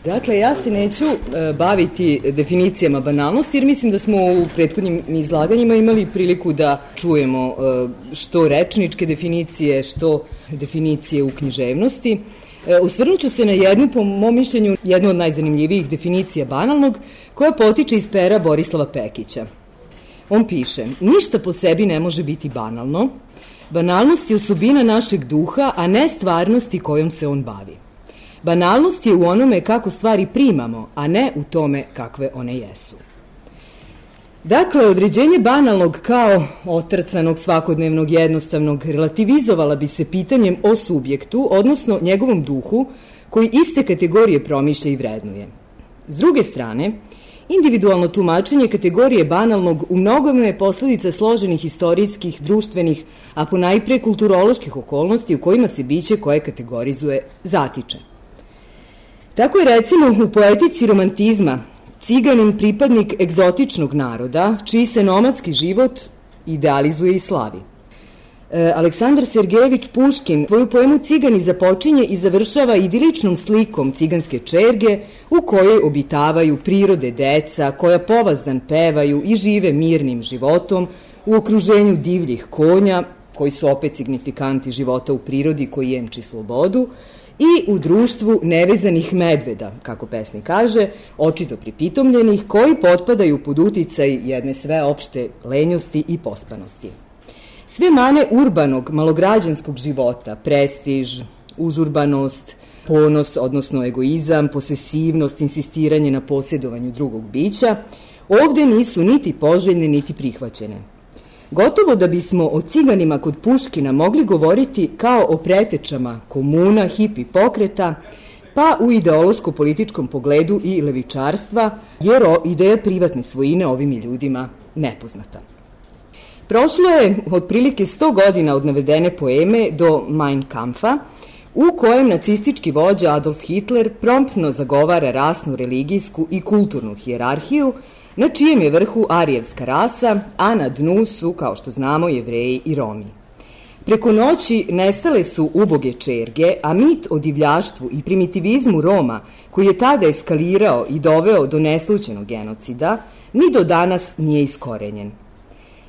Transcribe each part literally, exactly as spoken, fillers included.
Dakle, ja se neću e, baviti definicijama banalnosti, jer mislim da smo u prethodnim izlaganjima imali priliku da čujemo e, što rečničke definicije, što definicije u književnosti. E, osvrnut ću se na jednu, po mom mišljenju, jednu od najzanimljivijih definicija banalnog, koja potiče iz pera Borislava Pekića. On piše: ništa po sebi ne može biti banalno. Banalnost je osobina našeg duha, a ne stvarnosti kojom se on bavi. Banalnost je u onome kako stvari primamo, a ne u tome kakve one jesu. Dakle, određenje banalnog kao otrcanog, svakodnevnog, jednostavnog relativizovala bi se pitanjem o subjektu, odnosno njegovom duhu, koji iste kategorije promišlja i vrednuje. S druge strane, individualno tumačenje kategorije banalnog u mnogome je posledica složenih istorijskih, društvenih, a ponajpre kulturoloških okolnosti u kojima se biće koje kategorizuje zatiče. Tako je recimo u poetici romantizma ciganin pripadnik egzotičnog naroda, čiji se nomadski život idealizuje i slavi. E, Aleksandar Sergejević Puškin svoju poemu Cigani započinje i završava idiličnom slikom ciganske čerge u kojoj obitavaju prirode deca koja povazdan pevaju i žive mirnim životom u okruženju divljih konja, koji su opet signifikanti života u prirodi koji jemči slobodu, i u društvu nevezanih medveda, kako pesnik kaže, očito pripitomljenih, koji potpadaju pod uticaj jedne sveopšte lenjosti i pospanosti. Sve mane urbanog, malograđanskog života, prestiž, užurbanost, ponos, odnosno egoizam, posesivnost, insistiranje na posjedovanju drugog bića, ovde nisu niti poželjne, niti prihvaćene. Gotovo da bismo o ciganima kod Puškina mogli govoriti kao o pretečama komuna, hipi pokreta, pa u ideološko-političkom pogledu i levičarstva, jer ideja privatne svojine ovim je ljudima nepoznata. Prošlo je otprilike sto godina od navedene poeme do Mein Kampfa, u kojem nacistički vođa Adolf Hitler promptno zagovara rasnu, religijsku i kulturnu hijerarhiju, na čijem je vrhu arijevska rasa, a na dnu su, kao što znamo, Jevreji i Romi. Preko noći nestale su uboge čerge, a mit o divljaštvu i primitivizmu Roma, koji je tada eskalirao i doveo do neslućenog genocida, ni do danas nije iskorenjen.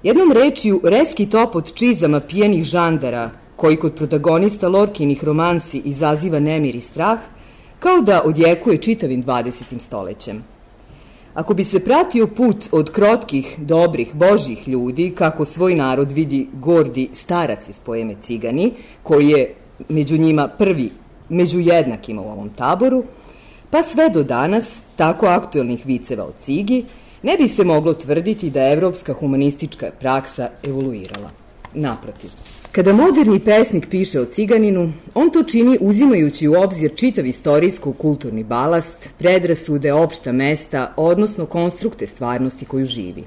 Jednom rečju, reski top od čizama pijenih žandara, koji kod protagonista Lorkinih romansi izaziva nemir i strah, kao da odjekuje čitavim dvadesetim stolećem. Ako bi se pratio put od krotkih, dobrih, božjih ljudi, kako svoj narod vidi gordi starac iz poeme Cigani, koji je među njima prvi, među jednakima u ovom taboru, pa sve do danas, tako aktuelnih viceva o Cigi, ne bi se moglo tvrditi da je evropska humanistička praksa evoluirala. Naprotiv. Kada moderni pesnik piše o ciganinu, on to čini uzimajući u obzir čitav istorijsko-kulturni balast, predrasude, opšta mesta, odnosno konstrukte stvarnosti koju živi.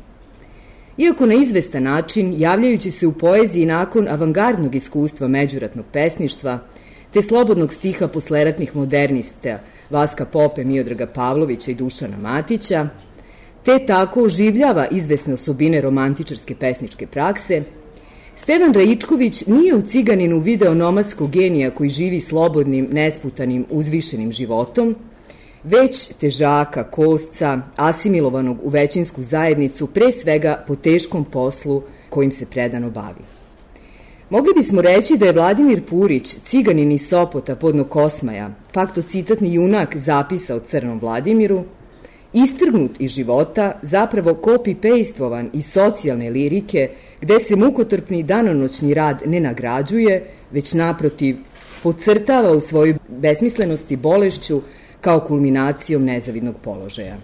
Iako na izvestan način, javljajući se u poeziji nakon avangardnog iskustva međuratnog pesništva, te slobodnog stiha posleratnih modernista Vaska Pope, Miodraga Pavlovića i Dušana Matića, te tako oživljava izvesne osobine romantičarske pesničke prakse, Stevan Raičković nije u Ciganinu video nomadskog genija koji živi slobodnim, nesputanim, uzvišenim životom, već težaka, kosca, asimilovanog u većinsku zajednicu, pre svega po teškom poslu kojim se predano bavi. Mogli bismo reći da je Vladimir Purić, ciganin iz Sopota podno Kosmaja, faktocitatni junak zapisa o Crnom Vladimiru, istrgnut iz života, zapravo copy-pastovan iz socijalne lirike, gde se mukotrpni danonoćni rad ne nagrađuje, već naprotiv podcrtava u svojoj besmislenosti bolešću kao kulminacijom nezavidnog položaja.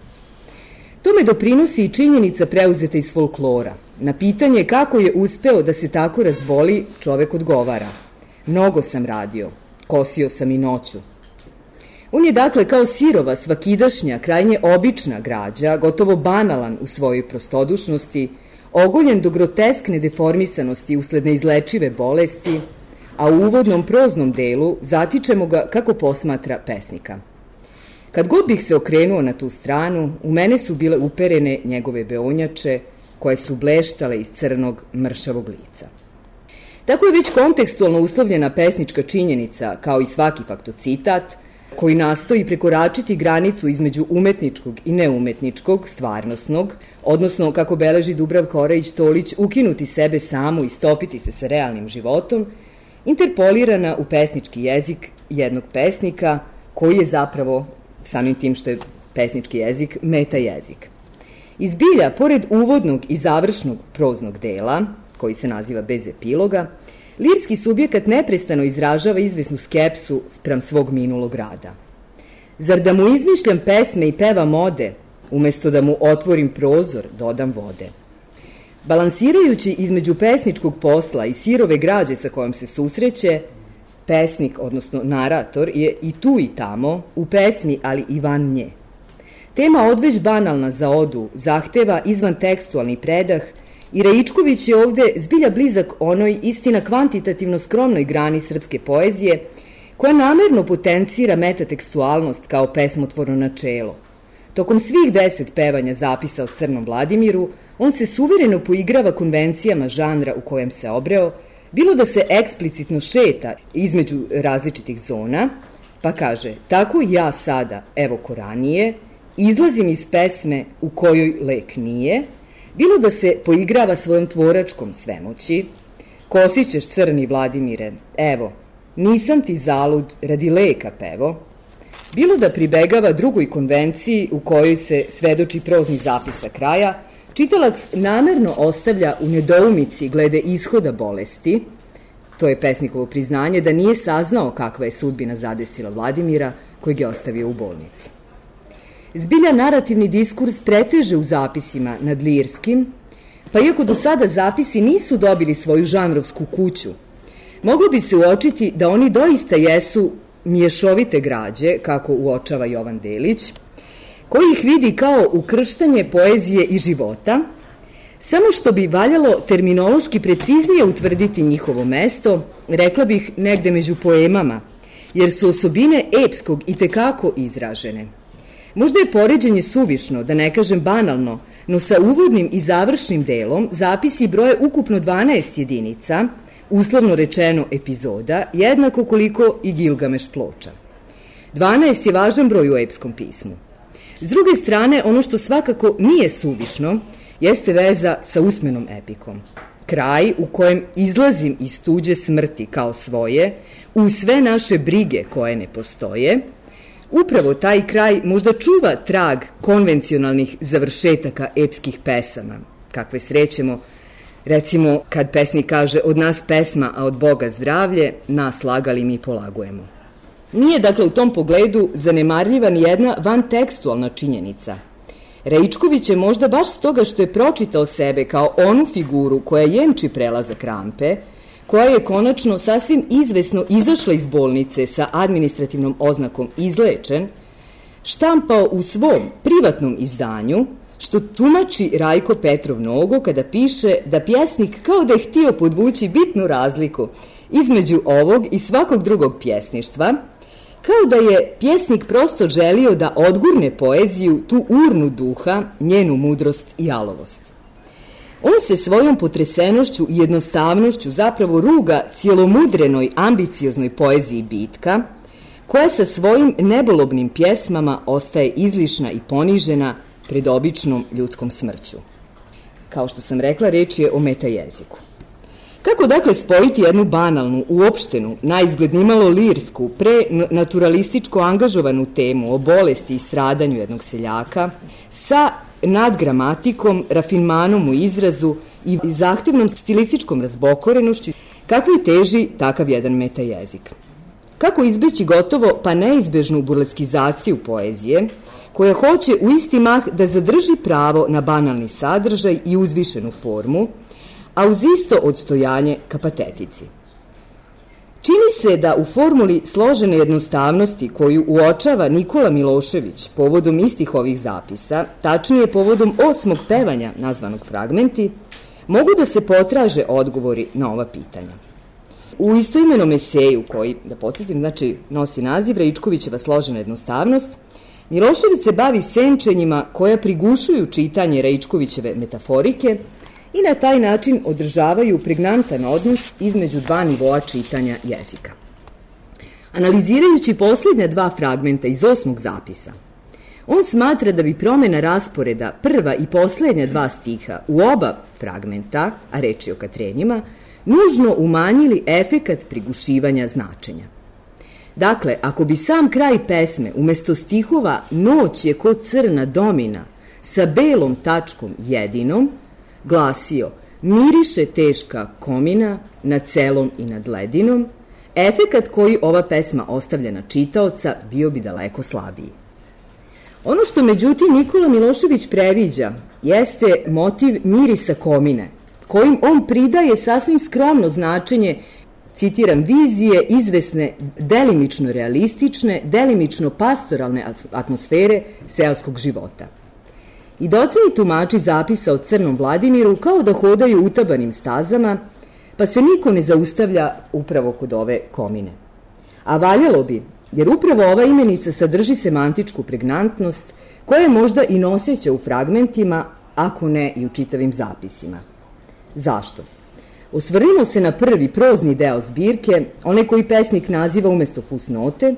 Tome doprinosi i činjenica preuzeta iz folklora. Na pitanje kako je uspeo da se tako razboli, čovek odgovara: mnogo sam radio, kosio sam i noću. On je dakle kao sirova, svakidašnja, krajnje obična građa, gotovo banalan u svojoj prostodušnosti, ogoljen do groteskne deformisanosti usled neizlečive bolesti, a u uvodnom proznom delu zatičemo ga kako posmatra pesnika. Kad god bih se okrenuo na tu stranu, u mene su bile uperene njegove beonjače, koje su bleštale iz crnog, mršavog lica. Tako je već kontekstualno uslovljena pesnička činjenica, kao i svaki faktocitat, koji nastoji prekoračiti granicu između umetničkog i neumetničkog, stvarnosnog, odnosno, kako beleži Dubravka Orajić-Tolić, ukinuti sebe samu i stopiti se sa realnim životom, interpolirana u pesnički jezik jednog pesnika koji je zapravo, samim tim što je pesnički jezik, meta jezik. I zbilja, pored uvodnog i završnog proznog dela, koji se naziva Bez epiloga, lirski subjekat neprestano izražava izvesnu skepsu spram svog minulog rada. Zar da mu izmišljam pesme i pevam ode, umesto da mu otvorim prozor, dodam vode? Balansirajući između pesničkog posla i sirove građe sa kojom se susreće, pesnik, odnosno narator, je i tu i tamo, u pesmi, ali i van nje. Tema odveć banalna za odu zahteva izvan tekstualni predah i Raičković je ovde zbilja blizak onoj istina kvantitativno skromnoj grani srpske poezije koja namerno potencira metatekstualnost kao pesmotvorno načelo. Tokom svih deset pevanja zapisa o Crnom Vladimiru, on se suvereno poigrava konvencijama žanra u kojem se obreo, bilo da se eksplicitno šeta između različitih zona, pa kaže, tako ja sada, evo ko ranije, izlazim iz pesme u kojoj lek nije, bilo da se poigrava svojom tvoračkom svemoći, kosićeš crni Vladimire, evo, nisam ti zalud radi leka pevo, bilo da pribegava drugoj konvenciji u kojoj se svedoči proznih zapisa kraja, čitalac namerno ostavlja u nedoumici glede ishoda bolesti, to je pesnikovo priznanje da nije saznao kakva je sudbina zadesila Vladimira, kojeg je ostavio u bolnici. Zbilja narativni diskurs preteže u zapisima nad lirskim, pa iako do sada zapisi nisu dobili svoju žanrovsku kuću, moglo bi se uočiti da oni doista jesu mješovite građe, kako uočava Jovan Delić, koji ih vidi kao ukrštanje poezije i života, samo što bi valjalo terminološki preciznije utvrditi njihovo mesto, rekla bih negde među poemama, jer su osobine epskog i tekako izražene. Možda je poređenje suvišno, da ne kažem banalno, no sa uvodnim i završnim delom zapisi broje ukupno dvanaest jedinica, uslovno rečeno epizoda, jednako koliko i Gilgameš ploča. dvanaest je važan broj u epskom pismu. S druge strane, ono što svakako nije suvišno, jeste veza sa usmenom epikom. Kraj u kojem izlazim iz tuđe smrti kao svoje, u sve naše brige koje ne postoje, upravo taj kraj možda čuva trag konvencionalnih završetaka epskih pesama, kakve srećemo, recimo kad pesnik kaže od nas pesma, a od Boga zdravlje, nas lagali mi polagujemo. Nije dakle u tom pogledu zanemarljiva ni jedna vantekstualna činjenica. Raičković je možda baš stoga što je pročitao sebe kao onu figuru koja jemči prelazak rampe, koja je konačno sasvim izvesno izašla iz bolnice sa administrativnom oznakom izlečen, štampao u svom privatnom izdanju, što tumači Rajko Petrov Nogo kada piše da pjesnik kao da je htio podvući bitnu razliku između ovog i svakog drugog pjesništva, kao da je pjesnik prosto želio da odgurne poeziju, tu urnu duha, njenu mudrost i jalovost. On se svojom potresenošću i jednostavnošću zapravo ruga cijelomudrenoj, ambicioznoj poeziji bitka, koja sa svojim nebolobnim pjesmama ostaje izlišna i ponižena pred običnom ljudskom smrću. Kao što sam rekla, reč je o metajeziku. Kako dakle spojiti jednu banalnu, uopštenu, naizgled nimalo lirsku, prenaturalističko angažovanu temu o bolesti i stradanju jednog seljaka sa nadgramatikom, rafinmanom u izrazu i zahtevnom stilističkom razbokorenošću, kakvoj teži takav jedan metajezik? Kako izbeći gotovo pa neizbežnu burleskizaciju poezije, koja hoće u isti mah da zadrži pravo na banalni sadržaj i uzvišenu formu, a uz isto odstojanje ka patetici? Čini se da u formuli složene jednostavnosti koju uočava Nikola Milošević povodom istih ovih zapisa, tačnije povodom osmog pevanja nazvanog Fragmenti, mogu da se potraže odgovori na ova pitanja. U istoimenom eseju koji, da podsjetim, znači nosi naziv Raičkovićeva složena jednostavnost, Milošević se bavi senčenjima koja prigušuju čitanje Raičkovićeve metaforike i na taj način održavaju pregnantan odnos između dva nivoa čitanja jezika. Analizirajući posljednja dva fragmenta iz osmog zapisa, on smatra da bi promena rasporeda prva i posljednja dva stiha u oba fragmenta, a reč je o Katrenjima, nužno umanjili efekat prigušivanja značenja. Dakle, ako bi sam kraj pesme umesto stihova "Noć je ko crna domina" sa belom tačkom jedinom glasio "Miriše teška komina nad celom i nad ledinom", efekat koji ova pesma ostavlja na čitaoca bio bi daleko slabiji. Ono što međutim Nikola Milošević previđa jeste motiv mirisa komine, kojim on pridaje sasvim skromno značenje, citiram, vizije izvesne delimično realistične, delimično pastoralne atmosfere seoskog života. I doceni tumači zapisa o Crnom Vladimiru kao da hodaju utabanim stazama, pa se niko ne zaustavlja upravo kod ove komine. A valjalo bi, jer upravo ova imenica sadrži semantičku pregnantnost koja je možda i noseća u fragmentima, ako ne i u čitavim zapisima. Zašto? Osvrnimo se na prvi prozni deo zbirke, onaj koji pesnik naziva umesto fusnote,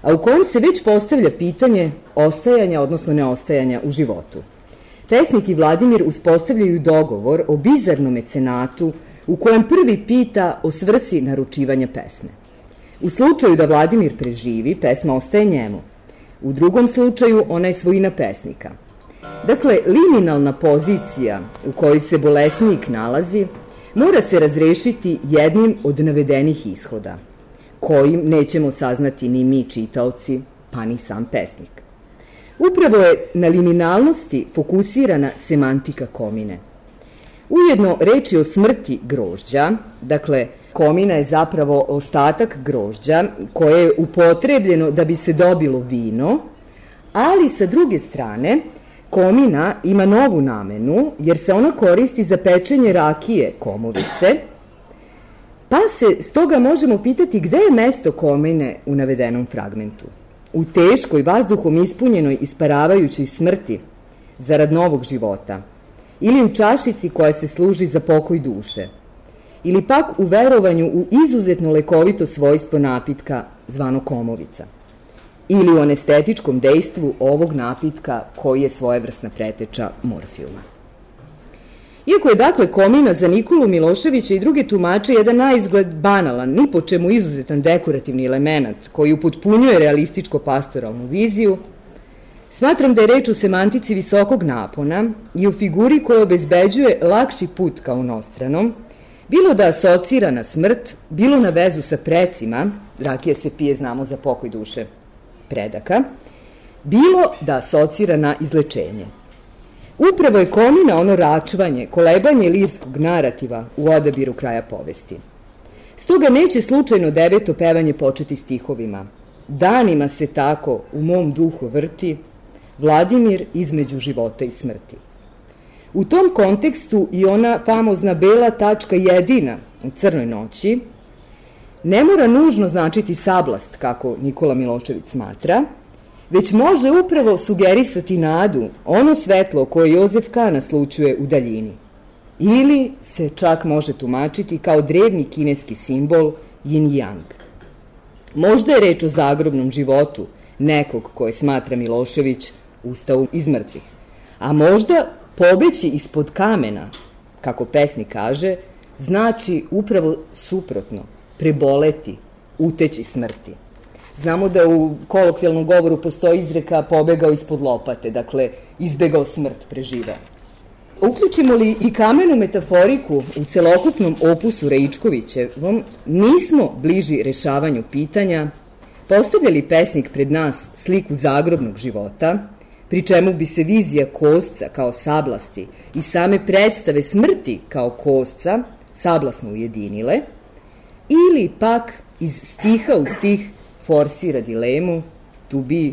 a u kojem se već postavlja pitanje ostajanja, odnosno neostajanja u životu. Pesnik i Vladimir uspostavljaju dogovor o bizarnom mecenatu u kojem prvi pita o svrsi naručivanja pesme. U slučaju da Vladimir preživi, pesma ostaje njemu. U drugom slučaju ona je svojina pesnika. Dakle, liminalna pozicija u kojoj se bolesnik nalazi mora se razrešiti jednim od navedenih ishoda, kojim nećemo saznati ni mi čitaoci, pa ni sam pesnik. Upravo je na liminalnosti fokusirana semantika komine. Ujedno reč je o smrti grožđa, dakle, komina je zapravo ostatak grožđa koje je upotrebljeno da bi se dobilo vino, ali sa druge strane komina ima novu namenu jer se ona koristi za pečenje rakije komovice, pa se stoga možemo pitati gde je mesto komine u navedenom fragmentu. U teškoj, vazduhom ispunjenoj isparavajućoj smrti zarad novog života, ili u čašici koja se služi za pokoj duše, ili pak u verovanju u izuzetno lekovito svojstvo napitka zvano komovica, ili u anestetičkom dejstvu ovog napitka koji je svojevrsna preteča morfijuma. Iako je dakle komina za Nikolu Miloševića i druge tumače jedan naizgled banalan, ni po čemu izuzetan dekorativni element koji upotpunjuje realističko-pastoralnu viziju, smatram da je reč o semantici visokog napona i o figuri koja obezbeđuje lakši put ka onostranom, bilo da asocira na smrt, bilo na vezu sa precima, rakija se pije, znamo, za pokoj duše predaka, bilo da asocira na izlečenje. Upravo je komina ono račvanje, kolebanje lirskog narativa u odabiru kraja povesti. Stoga neće slučajno deveto pevanje početi stihovima. Danima se tako u mom duhu vrti Vladimir između života i smrti. U tom kontekstu i ona famozna bela tačka jedina u Crnoj noći ne mora nužno značiti sablast, kako Nikola Milošević smatra, već može upravo sugerisati nadu, ono svetlo koje Jozef K. naslućuje u daljini. Ili se čak može tumačiti kao drevni kineski simbol yin yang. Možda je reč o zagrobnom životu nekog koje smatra Milošević ustao iz mrtvih, a možda pobeći ispod kamena, kako pesnik kaže, znači upravo suprotno, preboleti, uteći smrti. Znamo da u kolokvijalnom govoru postoji izreka pobegao ispod lopate, dakle izbegao smrt, preživeo. Uključimo li i kamenu metaforiku u celokupnom opusu Raičkovićevom, nismo bliži rešavanju pitanja postavlja li pesnik pred nas sliku zagrobnog života, pri čemu bi se vizija kosca kao sablasti i same predstave smrti kao kosca sablasno ujedinile, ili pak iz stiha u stih forsira dilemu to be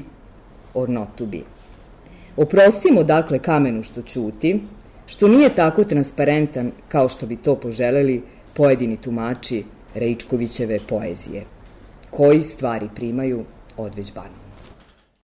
or not to be. Oprostimo dakle kamenu što ćuti, što nije tako transparentan kao što bi to poželeli pojedini tumači Raičkovićeve poezije, koji stvari primaju odveć banu.